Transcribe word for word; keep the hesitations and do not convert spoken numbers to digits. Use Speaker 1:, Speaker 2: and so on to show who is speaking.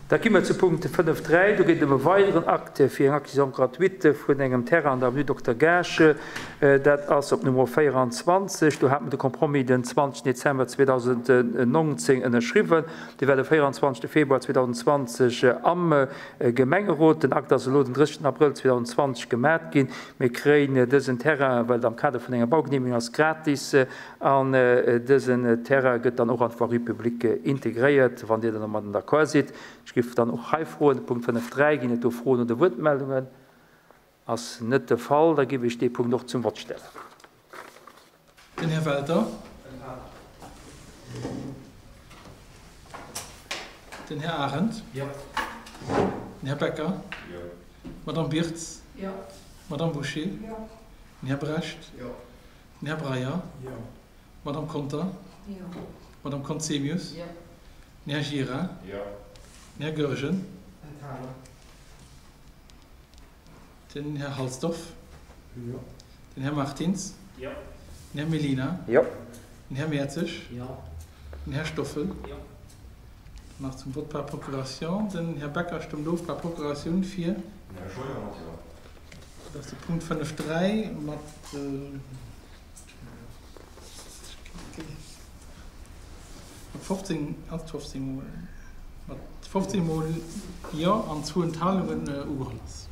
Speaker 1: Da gi mer zu Punkt fënnef dräi. Do geet et ëm e weideren Acte fir eng Acquisition gratuite vun engem Terrain an der Avenue Dokter Gaasch. Dat ass op Nummer véieranzwanzeg. Do hat mer de Compromis den zwanzeg Dezember zweedausendnonzéng ënnerschriwwen. Dee war de véieranzwanzegste Februar zweedausendzwanzeg am Gemengerot. Den Akt ass elo den drëssigsten Abrëll zweedausendzwanzeg gemat ginn. Mir kréien dësen Terrain, well et am Kader vun enger Baugenehmigung ass, gratis. An dësen Terrain gëtt dann och an d'Voirie publique integréiert, wann Dir dann domadden d'accord sidd. Ech géif dann och hei froen, Punkt fënnef dräi, ginn et do Froen oder Wuertmeldungen? Ass net de Fall. Da géif ech dee Punkt och zum Vott stellen.
Speaker 2: Den Här Welter. Den Här Arendt.
Speaker 3: Jo.
Speaker 2: Den Här Becker.
Speaker 3: Jo.
Speaker 2: D'Madame Birtz.
Speaker 4: Jo.
Speaker 2: D'Madame Bouché.
Speaker 4: Jo.
Speaker 2: Den Här Brecht.
Speaker 3: Jo.
Speaker 2: Den Här Breyer.
Speaker 3: Jo.
Speaker 2: D'Madame Conter.
Speaker 4: Jo.
Speaker 2: D'Madame Conzemius.
Speaker 4: Jo.
Speaker 2: Den Här Gira.
Speaker 3: Jo.
Speaker 2: Den Här Goergen.
Speaker 3: Enthalen.
Speaker 2: Den Här Halsdorf.
Speaker 3: Jo.
Speaker 2: Den Här Martins.
Speaker 3: Jo.
Speaker 2: Den Här Mellina.
Speaker 1: Jo.
Speaker 2: Den Här Mertzig.
Speaker 3: Jo.
Speaker 2: Den Här Stoffel.
Speaker 3: Jo.
Speaker 2: Nach zum Vott par procuration. Den Här Becker stëmmt of par Procuratioun fir.
Speaker 3: Den Här Scheuer mat Jo.
Speaker 2: Dat ass de Punkt fënnef dräi mat fofzéng, ass et fofzéng mol, mat fofzéng mol Jo an zwou Enthalungen ugeholl ass.